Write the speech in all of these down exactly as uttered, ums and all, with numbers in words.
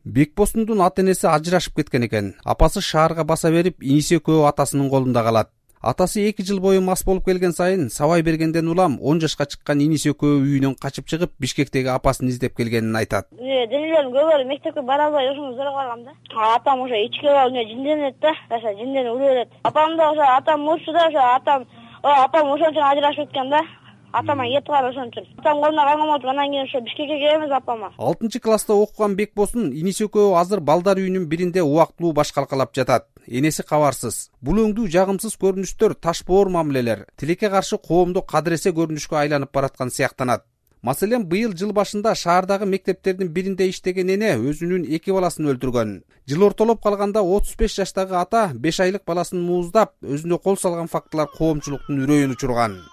Бекбосундун ата-энеси ажырашып кеткен экен. Апасы шаарга баса берип, иниси экөө атасынын колунда калат. Атасы эки жыл бою мас болуп келген сайын сабай бергенден улам он жашка чыккан иниси экөө үйүнөн качып чыгып, Бишкектеги апасын издеп келгенин айтат. Денелерим көбөлүп мектепке бара албай ушуну зороп калгам да. Атам ошо ичке барып жинденет да, ошо жинденип өлүп берет. Апам да ошо атам мурчу да, ошо атам, апам ошон үчүн ажырашып кеткен да. Атама эт калар ошон үчүн. Атам колуна калган болуп, анан кийин ошо Бишкекке келебиз апама. алтынчы класста окуган Бекбосун иниси экөө азыр балдар үйүнүн биринде убактылуу баш калкалап жатат. Энеси кабарсыз. Бул өңдүү жагымсыз көрүнүштөр, ташбоор мамилелер, тилекке каршы коомдо кадыресе көрүнүшкө айланып бараткан сыяктанат. Маселен, быйыл жыл башында шаардагы мектептердин биринде иштеген эне өзүнүн эки баласын өлтүргөн. Жыл ортолоп калганда отуз беш жаштагы ата беш айлык баласын мууздап, өзүнө кол салган фактылар коомчулуктун үрөйүн учурган.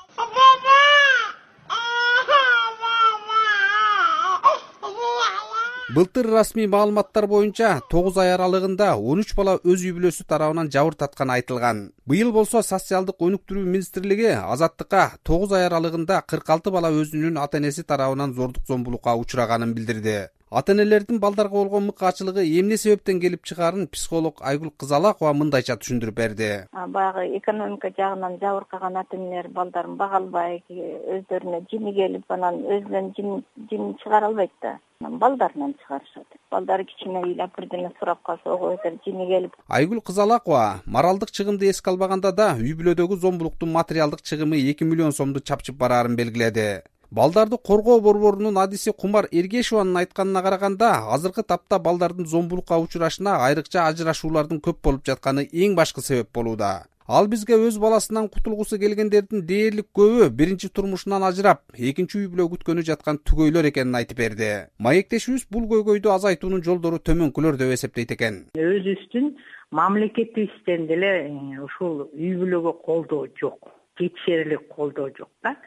Былтыр расмий маалыматтар боюнча тогуз ай аралыгында он үч бала өз үй бүлөсү тарабынан жабыр татканы айтылган. Быйыл болсо социалдык өнүктүрүү министрлиги Азаттыкка тогуз ай аралыгында кырк алты бала өзүнүн ата-энеси тарабынан зордук зомбулукка учураганын билдирди. Ата-энелердин балдарга болгон мыкаачылыгы эмне себептен келип чыгаарын психолог Айгүл Кызалакова мындайча түшүндүрүп берди. Баягы экономика жагынан жабыркаган ата-энелер балдарын бага албай, өздөрүнө жини келип, анан өзүнөн жин жин чыгара албайт да. Балдарынан чыгарышат. Балдары кичине ыйлап бирдеме сурап калса, ого өтөр жини келип. Айгүл Кызалакова моралдык чыгымды эске албаганда да үй бүлөдөгү зомбулуктун материалдык чыгымы эки миллион сомду чапчып бараарын белгиледи. Балдарды коргоо борборунун адиси Кумар Эргешованын айтканына караганда, азыркы тапта балдардын зомбулукка учурашына айрыкча ажырашуулардын көп болуп жатканы эң башкы себеп болууда. Ал бизге өз баласынан кутулгусу келгендердин дээрлик көбү биринчи турмушунан ажырап, экинчи үй бүлө күткөнү жаткан түгөйлөр экенин айтып берди. Маектешибиз бул көйгөйдү азайтуунун жолдору төмөнкүлөр деп эсептейт экен. Өзүбүздүн мамлекетибизден деле ушул үй бүлөгө колдоо жок, жетишерлик колдоо жок да.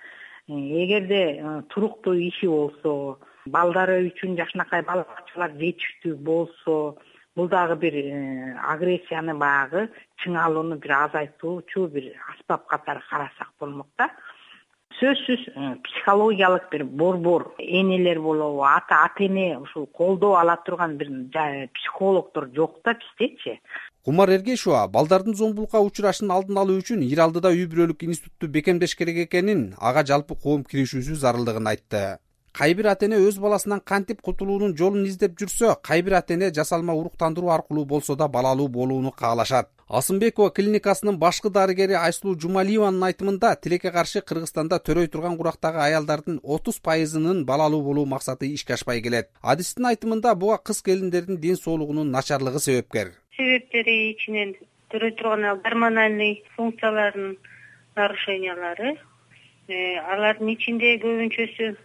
Эгерде туруктуу иши болсо, балдары үчүн жакшынакай бала бакчалар жетиштүү болсо, бул дагы бир агрессияны багы чыңалууну бир азайтуучу бир аспап катары карасак болмок да. Сөзсүз психологиялык бир борбор, энелер болобу, ата ата-эне ушул колдоо ала турган бир психологдор жок да биздечи. Кумар Эргешова балдардын зомбулукка учурашын алдын алуу үчүн Ир алдыда үй бүлөлүк институтту бекемдеш керек экенин, ага жалпы коом киришүүсү зарылдыгын айтты. Кай бир ата-эне өз баласынан кантип кутулуунун жолун издеп жүрсө, кай бир ата-эне жасалма уруктандыруу аркылуу болсо да балалуу болууну каалашат. Асымбекова клиникасынын башкы дарыгери Айсулуу Жумалиеванын айтымында, тилекке каршы Кыргызстанда төрөй турган курактагы аялдардын отуз пайызынын балалуу болуу максаты ишке ашпай келет. Адистин айтымында буга кыз келиндердин ден соолугунун начарлыгы себепкер. Себептери ичинен төрөй турган гормоналдык функциялардын нарушениялары, алардын ичинде көбүнчөсү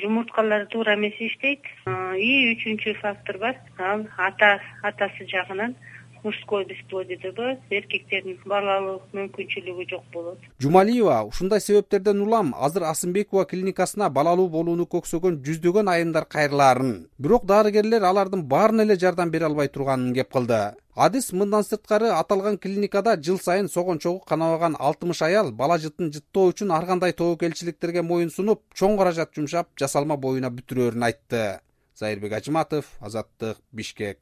жумурткалар туура эмес иштейт. И үчүнчү фактор бар, ал ата атасы жагынан мужской бесплодие деп коет, эркектердин балалуу мүмкүнчүлүгү жок болот. Жумалиева ушундай себептерден улам азыр Асымбекова клиникасына балалуу болууну көксөгөн жүздөгөн айымдар кайрылаарын, бирок дарыгерлер алардын баарына эле жардам бере албай турганын кеп кылды. Адис мындан сырткары аталган клиникада жыл сайын согончогу канабаган алтымыш аял бала жытын жыттоо үчүн ар кандай тобокелчиликтерге моюн сунуп, чоң каражат жумшап, жасалма боюна бүтүрөөрүн айтты. Зайырбек Ажыматов, Азаттык, Бишкек.